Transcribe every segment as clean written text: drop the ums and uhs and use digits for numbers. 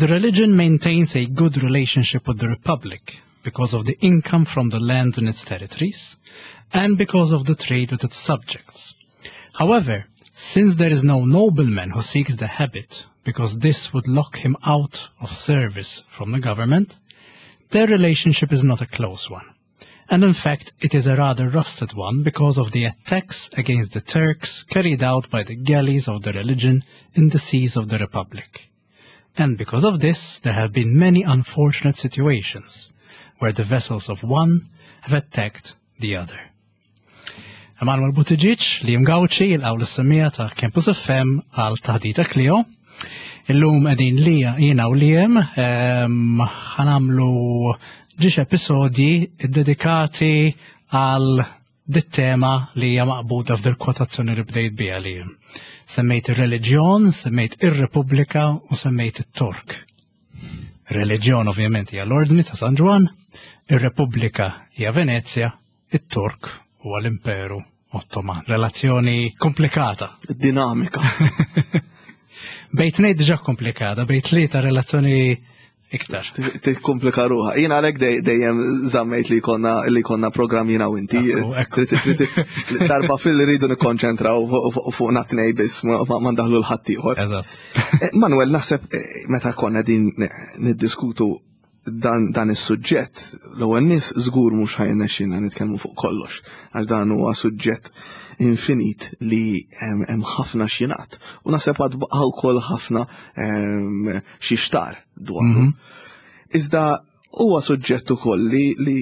The religion maintains a good relationship with the Republic because of the income from the lands in its territories and because of the trade with its subjects. However, since there is no nobleman who seeks the habit, because this would lock him out of service from the government, their relationship is not a close one. And in fact, it is a rather rusted one because of the attacks against the Turks carried out by the galleys of the religion in the seas of the Republic. And because of this, there have been many unfortunate situations where the vessels of one have attacked the other. Emanuel Buttigieg li jimgawċi il-għaw l-semmija ta' Campus FM għal taħdita Clio. Illum qegħdin li jiena u lijem ehm, ħanamlu ġiex episodji dedikati għal dit-tema li hija maqbuda f'dil kwotazzjoni li bdejt biha li semmejt ir-reliġjon, semmejt ir-Repubblika u semmejt it-Tork. Reliġjon ovvjament hija l-Ordni ta' San Ġwann, ir-Repubblika hija Venezja, it-Tork huwa l-Imperu Ottoman. Relazzjoni komplikata. Dinamika. Bejt ngħid diġà komplikata, bejt tlieta relazzjoni iktar. Tikkomplika ruħa. Jien għalhekk dejjem żammejt li konna li konna programm jiena u inti. Darba fil rridu nikkonċentraw fuq natnej biss ma ndaħlu l-ħadd ieħor. Eżatt. Eh, Manuel, naħseb eh, meta konna din niddiskutu dan, dan is-suġġett, l-ewwel nies żgur mhux ħajnexxina nitkellmu fuq kollox, għax dan huwa suġġett infinit li hemm ħafna x'jingħad. U naħseb għad baqa' wkoll ħafna xi xtar dwaru. Mhm. Iżda huwa suġġett ukoll li li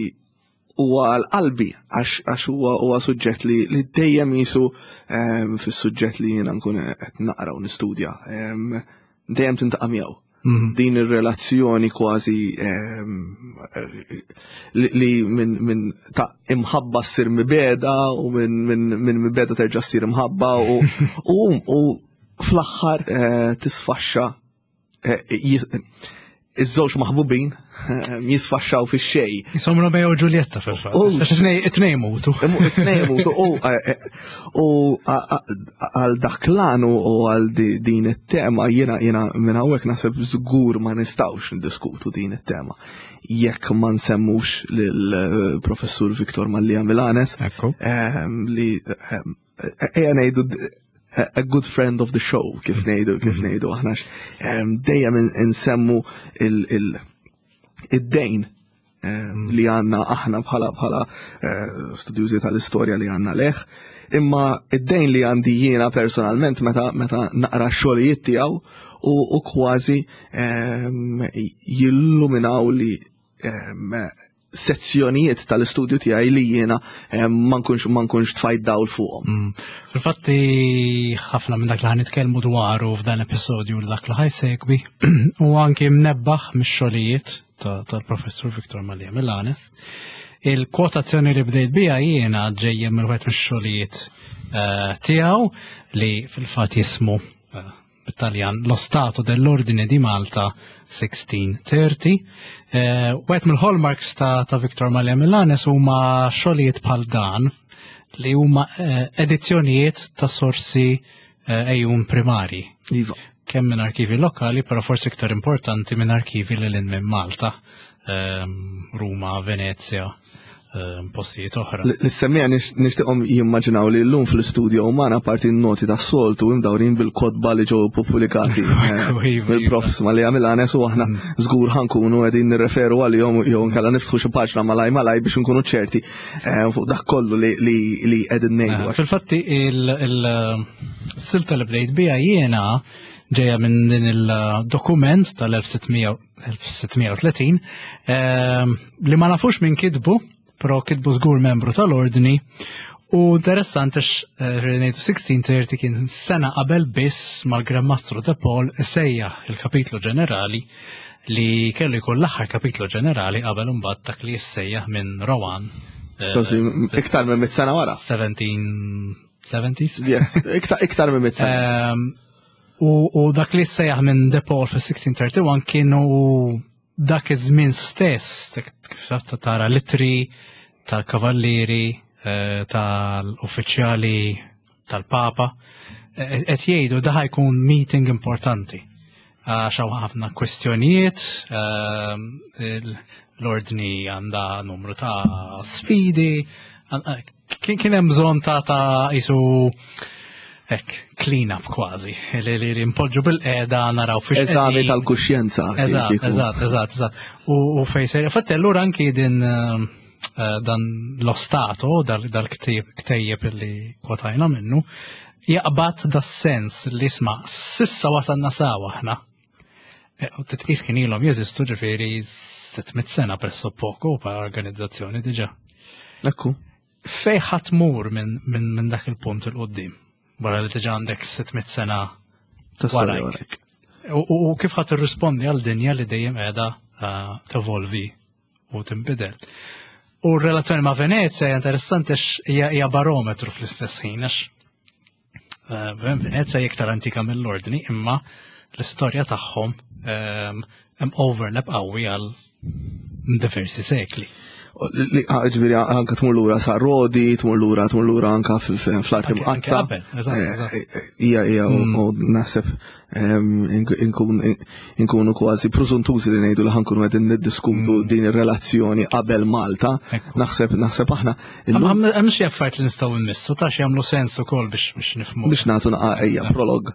huwa għal qalbi għax huwa huwa suġġett li, li dejjem jisu ehm, fis-suġġett li jiena nkun qed naqra u nistudja. Ehm, dejjem tintaqa' miegħu. Mhm. Din ir-relazzjoni kważi ehm, li, li minn min ta' imħabba ssir mibeda u minn min, min mibeda terġa' ssir imħabba u, u, u fl-aħħar eh, tisfaxxa eh, iż-żewġ maħbubin eh, jisfaxxaw fi xej. Jisom Romeo u Giulietta fil-fatt. It-tnej mutu. It-tnej mutu. U għal dak l u għal din it-tema jiena jiena minn hawnhekk naħseb żgur ma nistgħux ndiskutu din it-tema jekk ma nsemmux lill-professur Viktor Mallia Milanes li ejja ngħidu a good friend of the show kif mm. ngħidu kif mm. ngħidu aħna dejjem insemmu id-dejn mm. li għanna aħna bħala bħala eh, studjużi tal-istorja li għanna leħ. Imma id-dejn li għandi jiena personalment meta meta naqra xogħlijiet tiegħu u kważi jilluminaw li sezzjonijiet tal-istudju tiegħi li jiena eh, ma nkunx ma nkunx tfajt dawl fuqhom. Mm. Fil-fatti ħafna minn dak li ħanitkellmu dwaru f'dan l-episodju u dak li ħajsegwi u anki mnebbaħ mix-xogħlijiet tal-professur Viktor Malija Milanes. Il-kwotazzjoni li bdejt bija jiena ġejja mill wieħed mix-xogħlijiet eh, tiegħu li fil-fatt jismu eh, bit-Taljan Lo Stato dell'Ordine di Malta 1630. Eh, wieħed mill-hallmarks ta', ta Victor Malia Milanes huma xogħlijiet bħal dan li huma eh, edizzjonijiet ta' sorsi eh, ejjun primari. Iva. Kemm minn arkivi lokali, però forsi iktar importanti minn arkivi li lil minn Malta, ehm, Ruma, Venezia. Ehm, postijiet oħra. L-semmija nixtieqhom jimmaġinaw li llum fl-istudio umana parti n-noti tas soltu imdawrin bil-kodba li ġew pubblikati eh, mill-profs ma li għamil u aħna mm. żgur ħankunu qegħdin nirreferu għalihom jew nkella niftħu xi paġna malaj malaj biex nkunu ċerti eh, fuq dak kollu li qegħdin ngħidu. Eh, fil-fatti il-silta li bdejt biha jiena. ġejja minn din il-dokument tal-1630 li ma nafux minn kitbu, però kitbu żgur membru tal-ordni u interessanti ngħidu 1630 kien sena qabel biss mal-Gran Mastru de Paul isejjaħ il-kapitlu ġenerali li kellu jkun l-aħħar kapitlu ġenerali qabel imbagħad dak li jissejjaħ minn Rowan. Iktar minn mit sena wara. 1770s? Yes, iktar minn mit sena. U dak li sejjaħ minn De Paul fis-1631 kienu dak iż-żmien stess, kif tara litri tal-kavallieri, tal-uffiċjali tal-Papa, qed jgħidu da jkun meeting importanti. Għax hawn ħafna kwestjonijiet, l-ordni għandha numru ta' sfidi, kien hemm bżonn ta' isu hekk clean up kważi, li npoġġu bil-qeda naraw fiex. Eżami tal-kuxjenza. Eżatt. U fejn sejra. Fatt allura anki din dan lo Stato, dal-ktejjeb li kwotajna minnu, jaqbad da sens li isma' sissa wasalna sawa aħna. U titqis kien ilhom jeżistu ġifieri 600 sena presso poco pa' organizzazzjoni diġà. Ekku. Fej ħadd mur minn dak il-punt il-qoddim? Wara li diġà għandek 600 sena warajk. U kif ħadd irrispondi għal dinja li dejjem qiegħda tevolvi u tinbidel. U r-relazzjoni ma' Venezia hija interessanti għax hija barometru fl-istess ħin għax Venezia hija iktar antika mill-ordni imma l-istorja tagħhom hemm overlap qawwi għal diversi sekli. Ġifieri anka tmur lura sa' Rodi, tmur lura, tmur lura anka fl-arti mqaddsa. Ija, ija, u naħseb inkunu kważi preżuntużi li ngħidu li ħankunu qegħdin niddiskutu din ir-relazzjoni qabel Malta. Naħseb naħseb aħna. Hemm xi affarijiet li nistgħu nmissu ta' xi jagħmlu sens ukoll biex nifhmu. Biex nagħtu naqa' ejja prolog.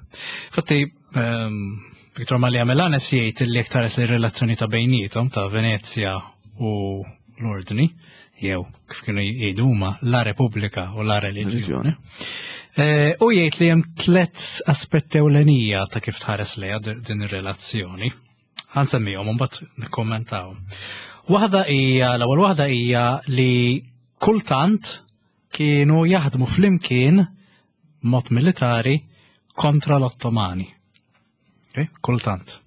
Fatti Victor Malia Melanes jgħid li iktar li relazzjoni ta' bejnietom ta' Venezia u l-Ordni, jew kif kienu jgħidu huma la Repubblika u la Reliġjoni. U jgħid li hemm tliet aspetti ewlenija ta' kif tħares lejha din ir-relazzjoni. Ħansemmihom u mbagħad nikkommentaw. Waħda hija l-ewwel waħda hija li kultant kienu jaħdmu flimkien mod militari kontra l-Ottomani. Okay? Kultant.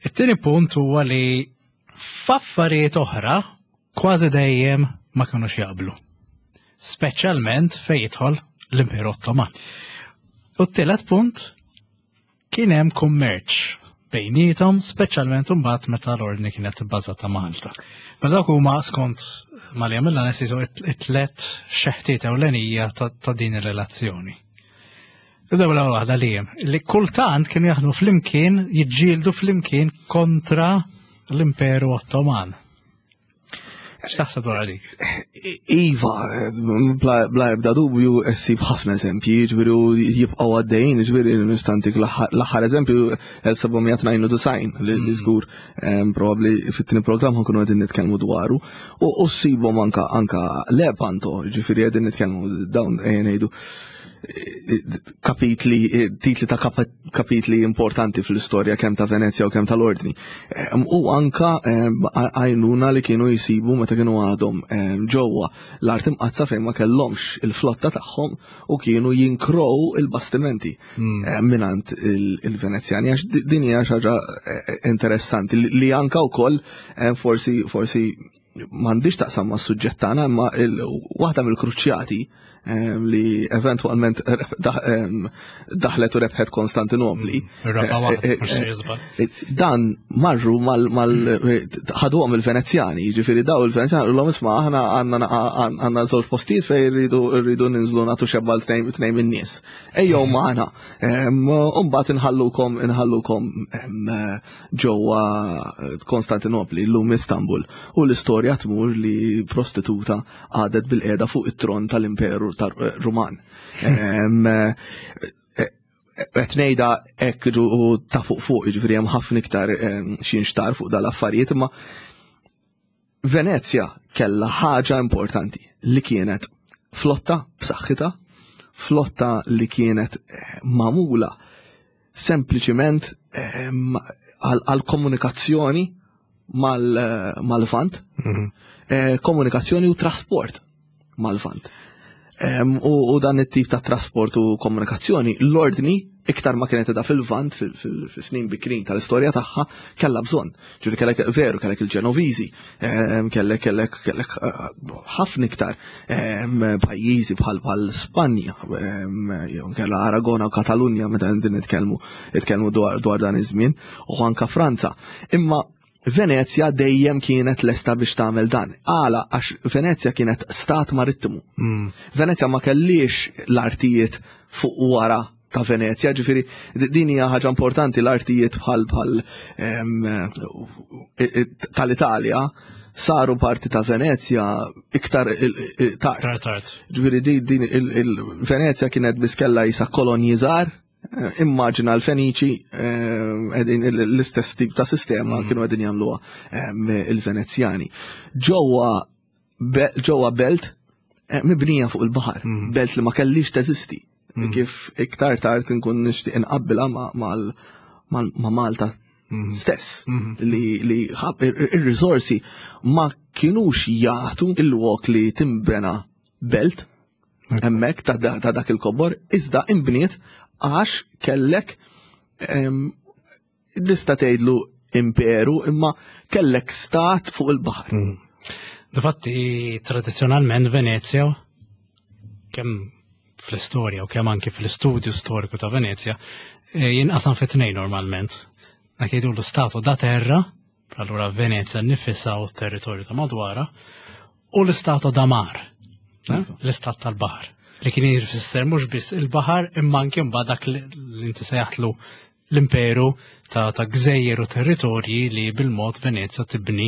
It-tieni punt huwa li f'affarijiet oħra kważi dejjem ma kinux jaqblu. Speċjalment fejn jidħol l-Imperu Ottoman. U t-tielet punt kien hemm kummerċ bejnietom, speċjalment imbagħad meta l-ordni kienet bbażata Malta. Mela dawk huma skont Malia Millanes jisu it-tlet xeħtiet ewlenija ta' din ir-relazzjoni. Nibdew l-ewwel waħda li hemm, li kultant kienu jaħdmu flimkien, jiġġieldu flimkien kontra l-Imperu Ottoman. X'taħseb dwar dik? Iva, bla ebda dubju ssib ħafna eżempji, ġifieri jibqgħu għaddejjin, ġifieri nistantik l-aħħar eżempju 1792 li żgur probabbli fit-tieni programm ħankunu qegħdin nitkellmu dwaru. U ssibhom anka anka Lepanto, ġifieri qegħdin nitkellmu dawn ejja ngħidu kapitli, titli ta' kapitli importanti fl-istorja kemm ta' Venezia u kemm tal-Ordni. U anka għajnuna li kienu jisibu meta kienu għadhom ġewwa l-art imqaddsa fejn ma kellhomx il-flotta tagħhom u kienu jinkrow il-bastimenti minant il-Venezjani għax din hija xi ħaġa interessanti li anka wkoll forsi forsi m'għandix taqsam ma' suġġett tagħna imma waħda mill-kruċjati li eventwalment daħlet u rebħet Konstantinopli. Dan marru mal ħaduhom il-Venezjani, jiġifieri daw il-Venezjani l isma' aħna għandna żewġ postijiet fejn rridu ninżlu nagħtu xebba tnejn min-nies. Ejjew magħna. U mbagħad inħallukom inħallukom ġewwa Konstantinopli, llum Istanbul. U l-istorja tmur li prostituta għadet bil-qiegħda fuq it-tron tal-Imperu Ruman. Qed ngħidha hekk u ta' fuq fuq, jiġifieri hemm ħafna iktar xi nxtar fuq dal-affarijiet, imma Venezja kellha ħaġa importanti li kienet flotta b'saħħitha, flotta li kienet magħmula. sempliċiment għal komunikazzjoni mal-Lvant, komunikazzjoni u trasport mal-Lvant. U dan it-tip ta' trasport u komunikazzjoni, l-ordni iktar ma kienet edha fil-Lvant fil-snin bikrin tal-istorja tagħha kellha bżonn. Ġifieri kellek veru kellek il-Ġenoviżi, kellek kellek kellek ħafna iktar pajjiżi bħal bħal Spanja, jew kellha Aragona u Katalunja meta qegħdin nitkellmu nitkellmu dwar dan iż-żmien u anka Franza. Imma Venezja dejjem kienet lesta biex tagħmel dan. Għala għax Venezja kienet stat marittimu. Venezja ma kellix l-artijiet fuq wara ta' Venezja, ġifieri din hija ħaġa importanti, l-artijiet bħal bħal tal-Italja saru parti ta' Venezja iktar tard. Tard, tard. Ġifieri din il-Venezja kienet biss kellha jisa kolonji żgħar. Immaġina l-Feniċi qegħdin l-istess tip ta' sistema kienu qegħdin jagħmluha il-Venezjani. Ġewwa belt mibnija fuq il-baħar, belt li ma kellix teżisti. Kif iktar tard nkun nixtieq inqabbilha ma' Malta stess, li ir-riżorsi ma kienux jagħtu il-lok li timbena belt hemmhekk ta' dak il-kobor, iżda imbniet għax kellek tista' tgħidlu imperu, imma kellek stat fuq il-baħar. Difatti, tradizzjonalment Venezja, kemm fl-istorja u kemm anki fl-istudju storiku ta' Venezja, jinqasam fi tnejn normalment. Dak jgħidu l-stato da terra, allura Venezja nifisha u t-territorju ta' madwara, u l-istato da mar, l-istat tal-baħar, li kien jfisser mhux biss il-baħar imma anke mbagħad dak li inti sejjaħtlu l-imperu ta' gżejjer u territorji li bil-mod Venezja tibni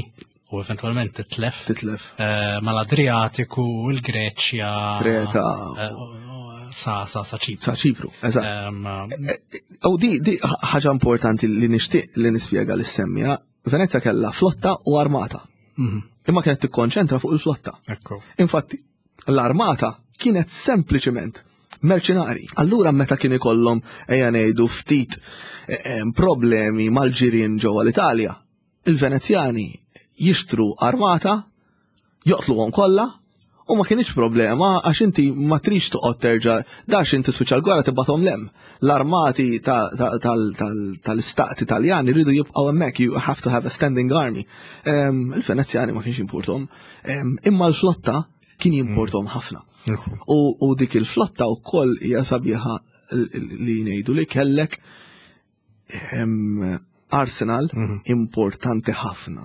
u eventualment titlef. Titlef. Mal-Adriatiku, il-Greċja, Kreta. Sa Ċipru. Sa Ċipru, eżatt. U di ħaġa importanti li nixtieq li nispjega li semmija, Venezja kellha flotta u armata. Imma kienet tikkonċentra fuq il-flotta. Infatti, l-armata kienet sempliċiment merċenari. Allura meta kien ikollhom ejja ngħidu ftit problemi mal-ġirien ġewwa l-Italja, il-Venezjani jixtru armata, joqtluhom kollha, u ma kienx problema għax inti ma trix toqgħod terġa' dax inti spiċċa l-gwerra tibgħathom lem. L-armati tal-istat Italjan iridu jibqgħu hemmhekk, you have to have a standing army. Il-Venezjani ma kienx jimpurtom. Imma l-flotta kien jimpurtom ħafna. U dik il-flotta wkoll hija sabiħa li ngħidu li kellek arsenal importanti ħafna.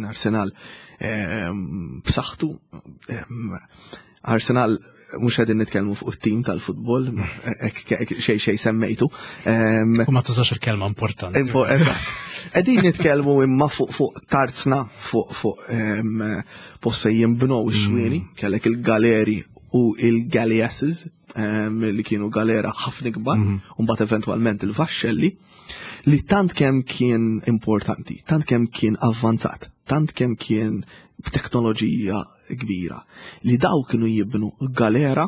Arsenal b'saħħtu, Arsenal mhux qegħdin nitkellmu fuq it-tim tal-futbol, hekk xejn xejn semmejtu. U ma tużax il-kelma importanti. Eżatt. Qegħdin nitkellmu imma fuq tarzna, fuq post fejn jinbnew ix-xwieni, kellek il-galeri u il-galleasses li kienu galera ħafna kbar, u mbagħad eventwalment il-vaxxelli, li tant kemm kien importanti, tant kemm kien avvanzat, tant kemm kien b'teknoloġija kbira, li daw kienu jibnu galera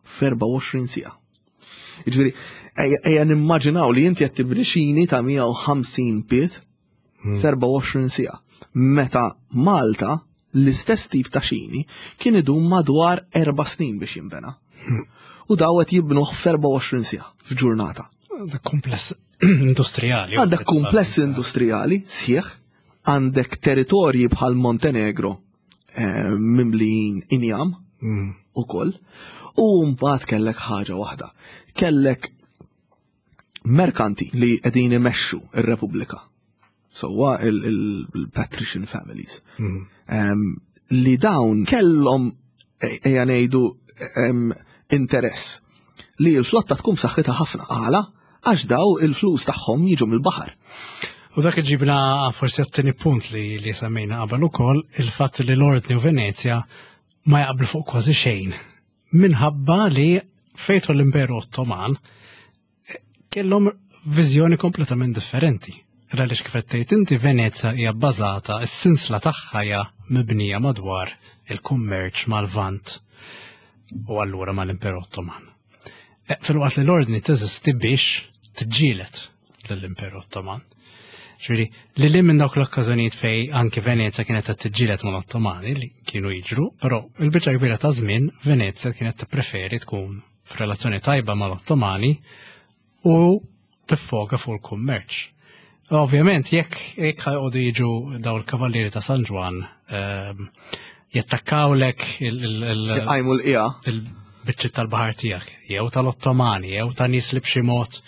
f'24 siegħa. Jiġifieri, ejja nimmaġinaw li inti qed tibni xini ta' 150 pied f'24 siegħa. Meta Malta l-istess tip ta' xini kien idum madwar 4 snin biex jinbena. U daw qed jibnuh f'24 siegħa f'ġurnata. Għandek kumpless industrijali. Għandek kumpless industrijali sħiħ, għandek territorji bħal Montenegro mimlijin injam ukoll, u mbagħad kellek ħaġa waħda. Kellek merkanti li qegħdin imexxu ir-Repubblika. Sewwa il-patrician families. Li dawn kellhom ejja ngħidu interess li l-flotta tkun b'saħħitha ħafna. Għala? Għax daw il-flus tagħhom jiġu mill-baħar. U dak iġibna forsi għat-tieni punt li semmejna qabel ukoll, il-fatt li l-Ordni u Venezja ma jaqblu fuq kważi xejn. Minħabba li fejtu l-Imperu Ottoman kellhom viżjoni kompletament differenti. Għaliex kif qed tgħid inti Venezja hija bbażata, is-sinsla tagħha hija mibnija madwar il-kummerċ mal-Lvant u allura mal-Imperu Ottoman. Filwaqt li l-Ordni teżisti biex tiġġieled lill-Imperu Ottoman. Ġifieri, li li minn dawk l-okkażjonijiet fej anki Venezja kienet qed tiġġieled mal-Ottomani li kienu jiġru, però il-biċċa kbira ta' żmien Venezja kienet tippreferi tkun f'relazzjoni tajba mal-Ottomani u tiffoka fuq il-kummerċ. Ovvjament, jekk jekk ħajqogħdu jiġu daw il-Kavallieri ta' San Ġwann ehm, jattakkawlek il- Għajmu l-qija. Il-biċċiet tal-baħar tiegħek, jew tal-Ottomani, jew ta' nies li b'xi mod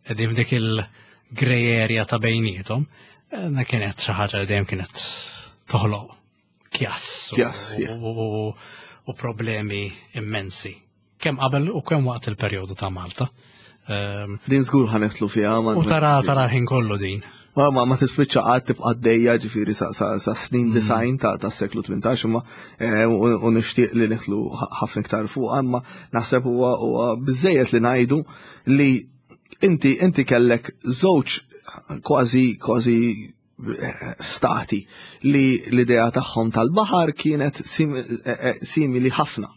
qegħdin f'dik il-grey area ta' bejniethom, eh, na kienet xi ħaġa li dejjem kienet toħloq kjass u problemi immensi. Kemm qabel u kemm waqt il-perjodu ta' Malta. Ehm, din żgur ħanetlu fiha. U tara tara ħin kollu din. Ma ma, ma tispiċċa qatt tibqa' għaddejja ġifieri sa, sa, sa snin mm. design ta' ta' seklu 18 imma eh, u nixtieq li nitlu ħafna iktar fuq imma naħseb huwa huwa biżejjed li ngħidu li inti inti kellek żewġ kważi kważi eh, stati li l-idea tagħhom tal-baħar kienet eh, simili ħafna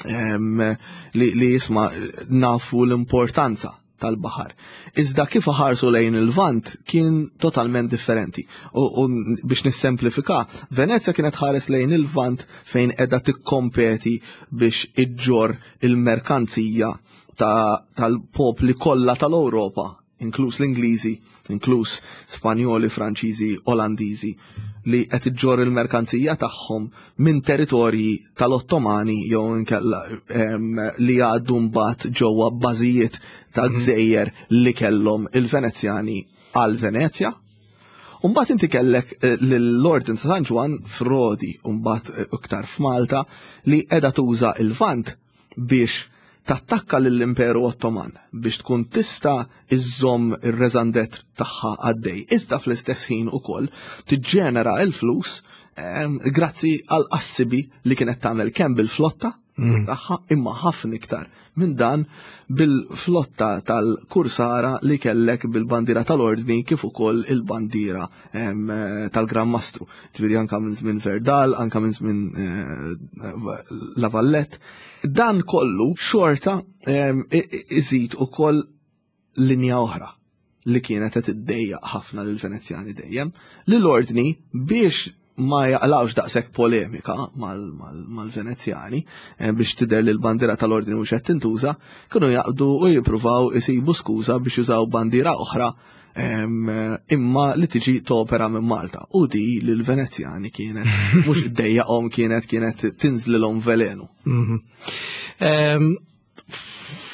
li, li jisma nafu l-importanza tal-baħar. Iżda kif ħarsu lejn il-Lvant kien totalment differenti. U, u biex nissemplifika, Venezja kienet ħares lejn il-Lvant fejn edha tikkompeti biex iġġor il-merkanzija tal-popli kollha tal-Ewropa, inkluż l-Ingliżi, inkluż Spanjoli, Franċiżi, Olandiżi, li qed iġġorr il-merkanzija tagħhom minn territorji tal-Ottomani jew inkella li għaddu mbagħad ġewwa bażijiet ta' mhm. gżejjer li kellhom il-Venezjani għal Venezja. Umbagħad inti kellek eh, l-Ordin ta' San Ġwan f'Rodi, umbagħad eh, iktar f'Malta li qiegħda tuża il-Vant biex tattakka lill-Imperu Ottoman biex tkun tista' iżżomm ir-reżandet tagħha għaddej. Iżda fl-istess ħin ukoll tiġġenera l-flus ehm, grazzi għal qassibi li kienet tagħmel kemm bil-flotta mm. tagħha imma ħafna iktar minn dan bil-flotta tal-kursara li kellek bil-bandiera tal-ordni kif ukoll il-bandiera ehm, tal-Gran Mastru. Ġifieri anka minn żmien Verdal, anka minn żmien eh, La Vallette. Dan kollu xorta iżid ukoll linja oħra li kienet qed iddejjaq ħafna lil Venezjani dejjem, li l-ordni biex ma jaqlawx daqshekk polemika mal-Venezjani eh, biex tidher li l-bandiera tal-ordni mhux qed tintuża, kienu jaqbdu u jippruvaw isibu skuża biex jużaw bandiera oħra imma li tiġi topera minn Malta. U di li l-Venezjani kienet, mhux iddejjaqhom kienet kienet tinżlilhom velenu. Mhm.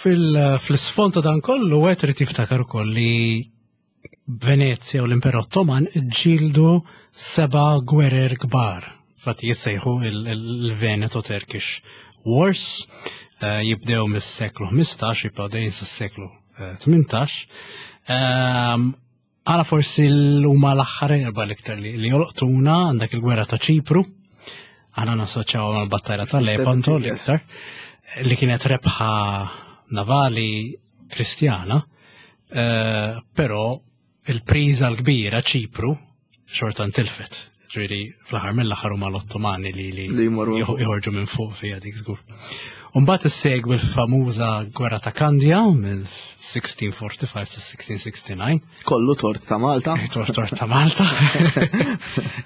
Fil-sfond ta' dan kollu għet irid jiftakar ukoll li Venezja u l-Imperu Ottoman ġildu seba' gwerer kbar. Fatti jissejħu il-Veneto Turkish Wars, eh, jibdew mis-seklu 15, jibqgħu dejjem sas-seklu 18. Ehm, għala forsi l-huma l-aħħar erba l-iktar li jolqtuna għandek il-gwerra ta' Ċipru, għana nassoċjaw mal-battajla ta' Lepanto l-iktar, li kienet rebħa navali kristjana, eh, però il-priża l-kbira Ċipru xorta ntilfet. Ġifieri fl-aħħar mill-aħħar huma l-Ottomani li li joħorġu minn fuq fiha dik żgur. Umbagħad issegwi l-famuża gwerra ta' Kandja mill-1645 sa 1669. Kollu tort ta' Malta. Tort tort ta' Malta.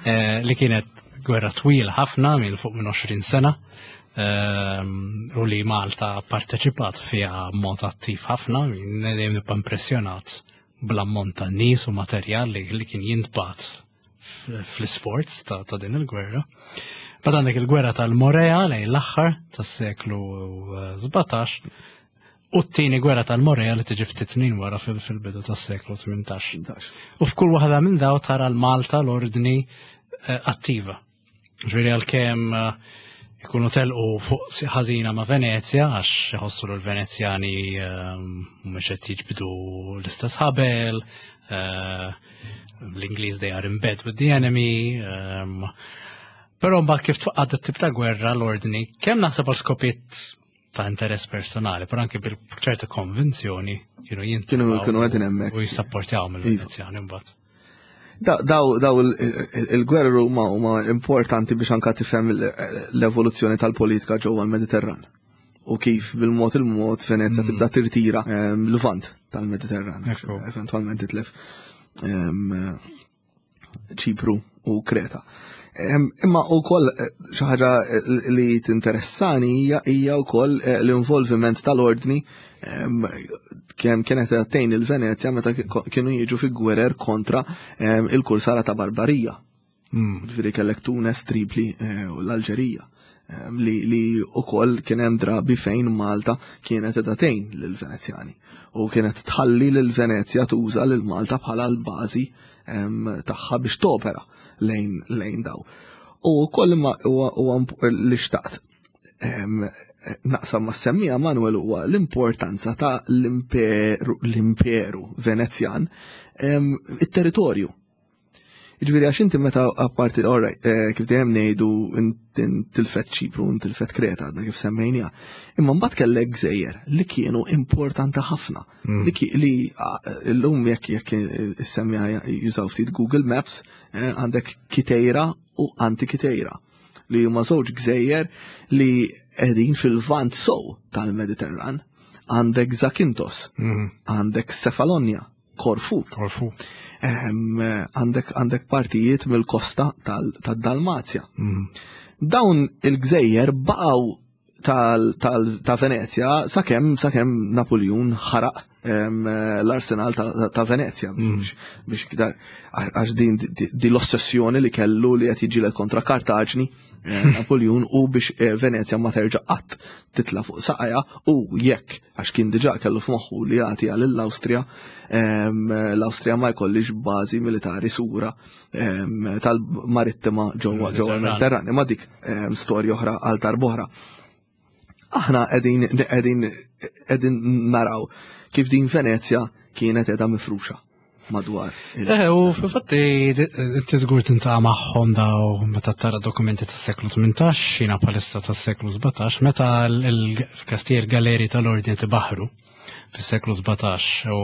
Eh, li kienet gwerra twila ħafna minn fuq minn 20 sena. Ehm, u li Malta parteċipat fiha mod attiv ħafna, dejjem nibqa' impressjonat bl-ammont ta' nies u materjal li, li kien jintbat fl-isforz ta', ta din il-gwerra. Bad għandek il-gwerra tal-Morea lejn l-aħħar tas-seklu 17 eh, u t-tieni gwerra tal-Morea li tiġi ftit snin wara fil-bidu tas-seklu 18. U f'kull waħda minn daw tara l-Malta l-ordni eh, attiva. Ġifieri għalkemm eh, ikunu telqu fuq ħażina ma' Venezja għax iħossu l-Venezjani eh, mhux qed jiġbdu l-istess ħabel, eh, l-Ingliż they are in bed with the enemy. Però mbagħad kif tfaqqad it-tip ta' gwerra l-ordni, kemm naħseb għal skopiet ta' interess personali, però anke bil-ċerta konvinzjoni kienu jintu. Kienu kienu għedin hemmhekk. U jissapportjaw mill-Venezjani iva. mbagħad. Daw daw il-gwerra huma huma importanti biex anka tifhem l-evoluzzjoni tal-politika ġewwa l-Mediterran. u kif bil-mod il-mod Venezja tibda tirtira l-vant tal-Mediterran. Eventualment titlef Ċipru u Kreta. Imma u koll eh, xaħġa eh, li tinteressani hija hija wkoll eh, l-involviment tal-ordni kemm kienet tgħin il-Venezja meta kienu jiġu fi gwerer kontra il-kursara ta' Barbarija. Ġifieri kellek Tunes, Tripli u l-Alġerija li, li ukoll kien hemm drabi fejn Malta kienet qiegħda tgħin lill-Venezjani u kienet tħalli lil Venezja tuża lil Malta bħala l-bażi tagħha biex topera lejn lejn daw. U wkoll imma huwa li xtaqt naqsam ma' semmija Manuel huwa l-importanza ta' l-imperu l-imperu Venezjan it-territorju. Ġifieri għax inti meta apparti, all right, eh, kif dejjem ngħidu tilfet Ċipru, tilfet Kreta, għadna kif semmejnija. Imma mbagħad kellek gżejjer li kienu importanti ħafna. Li llum jekk jekk issemmija jużaw ftit Google Maps, eh, għandek Kitejra u Antikitejra li huma żewġ gżejjer li qegħdin fil-vant sow tal-Mediterran. Għandek Zakintos, għandek Cefalonia, Korfu. Korfu. Għandek għandek partijiet mill-kosta tal-Dalmazja. Dawn il-gżejjer baqgħu ta' Venezja sakemm sakemm Napoleon ħaraq l-arsenal ta' Venezja biex kdar għax din di l-ossessjoni li kellu li qed jiġieled kontra Kartaġni eh, Napoleon u biex eh, Venezja ma terġa' qatt titla' fuq saqajha u jekk għax kien diġà kellu f'moħħu li jagħti għal l-Awstrija, l-Awstrija ma jkollix bażi militari sura tal-marittima ġewwa ġewwa l-Mediterran. Imma dik storja oħra għal darb'oħra. Aħna qegħdin qegħdin qegħdin naraw kif din Venezja kienet qiegħda mifruxa madwar. Eh, u fil-fatti inti żgur tintaqa' magħhom daw meta tara dokumenti tas-seklu 18, xina palissa tas-seklu 17, meta l-kastier galeri tal-ordni tibaħru fis-seklu 17 u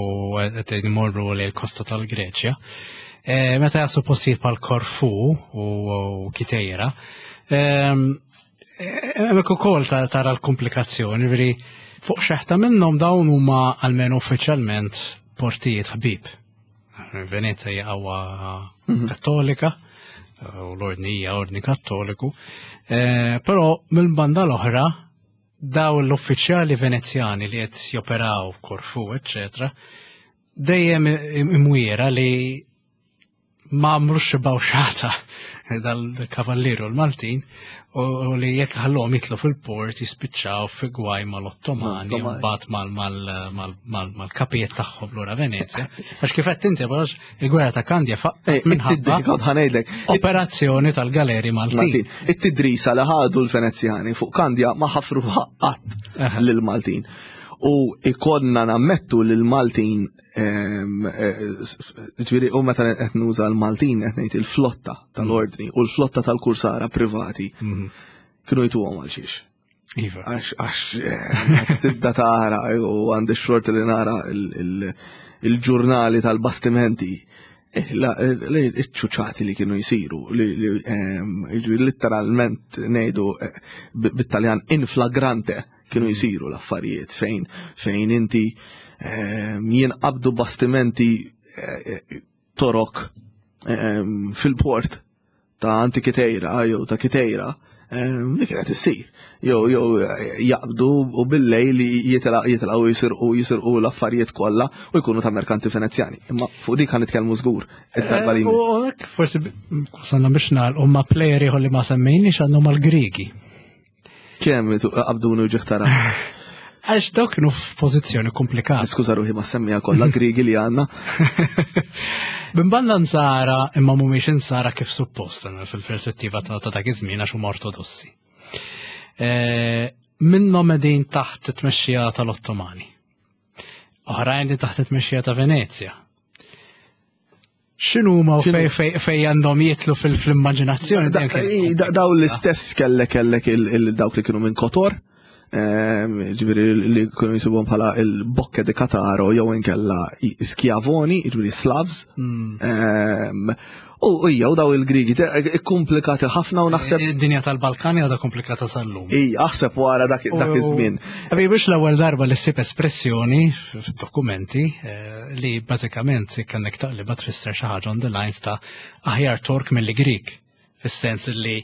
qed imorru lejn il-kosta tal-Greċja. Eh, meta jasu postijiet bħal Korfu u Kitejra, ehm, Hemmhekk ukoll tara l-komplikazzjoni, veri fuq xeħta minnhom dawn huma almenu uffiċjalment portijiet ħbib. Venezia hija qawwa mhm. kattolika u l-ordni hija ordni kattoliku. Eh, però mill-banda l-oħra daw l-uffiċjali venezjani li qed joperaw Korfu, eċċetera, dejjem imwiera li ma għamlux xi bawxata dal-kavalliru l-Maltin u li jekk ħallhom jitlu fil-port jispiċċaw fi gwaj mal-Ottomani u mbagħad mal-kapijiet tagħhom lura Venezja. Għax kif qed inti għax il-gwerra ta' Kandja faqqet minħabba operazzjoni tal-galeri Maltin. It-tidrisa li ħadu l-Venezjani fuq Kandja ma ħafru qatt lill-Maltin. U ikonna nammettu li l-Maltin Eh, ġifieri u meta qed nuża l-Maltin qed ngħid il-flotta tal-ordni u l-flotta tal-kursara privati mhm. kienu jtuhom għal xiex. Iva. Għax għax eh, tibda tara u għandi xort li nara il-ġurnali tal-bastimenti eh, iċ-ċuċati li kienu jisiru, li literalment ngħidu bit-Taljan in flagrante kienu mm. jisiru l-affarijiet fejn fejn inti ehm, jinqabdu bastimenti eh, eh, torok ehm, fil-port ta' Antikitejra jew ta' Kitejra ehm, li kienet issir. Jew jew eh, jaqbdu u bil-lejl jitilgħu jisirqu jisirqu l-affarijiet kollha u jkunu ta' merkanti Venezjani. Imma fuq dik ħan nitkellmu żgur id-darba li jmiss. Forsi sanna biex nagħlqu ma' plejer ieħor li ma semmejniex għandhom mal-Griegi. Kemm qabduni u ġiħtara. Għax dawk kienu f'pożizzjoni komplikata. Skuża ruħi ma semmija kollha Griegi li għandna. Binbanda nsara imma mhumiex insara kif suppost fil-perspettiva ta' dak iż-żmien għax huma ortodossi. E, minnhom qegħdin taħt it-tmexxija tal-Ottomani. Oħrajn li taħt it-tmexxija ta' Venezja. X'inhuma u fej fej għandhom jitlu fil-immaġinazzjoni? Daw l-istess kellek kellek dawk li kienu minn Kotor. Ġifieri li kienu jisibhom bħala il-Bocche di Cataro jew inkella Schiavoni, ġifieri Slavs. U hija u daw il-Grigi ikkomplikati ħafna u naħseb. Id-dinja tal-Balkani għadha komplikata sal-lum. Ija, aħseb wara dak iż-żmien. Għabi biex l-ewwel darba li ssib espressjoni f'dokumenti eh, li bażikament kellek taqliba tfisser xi ħaġa on the lines ta' aħjar Tork milli Grik. Fis-sens li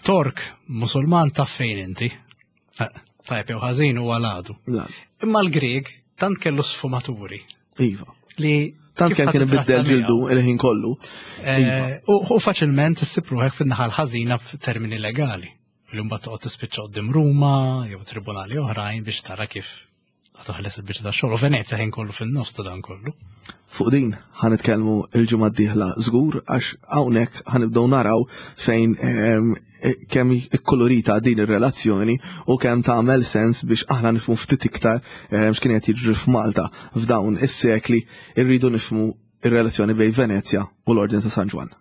Tork Musulman taf fejn inti. Eh, tajb jew ħażin huwa l-għadu. Imma l-Grieg tant kellu sfumaturi. Iva. Li tant kemm kien ibiddel ġildu il-ħin kollu. Eh, iva. U faċilment issib ruħek fin-naħa l-ħażina f'termini legali. Li mbagħad toqgħod tispiċċa qudiem Ruma jew tribunali oħrajn biex tara kif Toħles il-biċċa ta' xogħol u Venezja ħin kollu fin-nofs ta' dan kollu. Fuq din ħa nitkellmu il-ġimgħa d-dieħla żgur għax hawnhekk ħa nibdew naraw fejn ehm, kemm ikkolorita din ir-relazzjoni u kemm tagħmel sens biex aħna nifhmu ftit iktar ehm, x'kien qed jiġri f'Malta f'dawn is-sekli irridu nifhmu ir-relazzjoni bejn Venezja u l-Ordni ta' San Ġwann.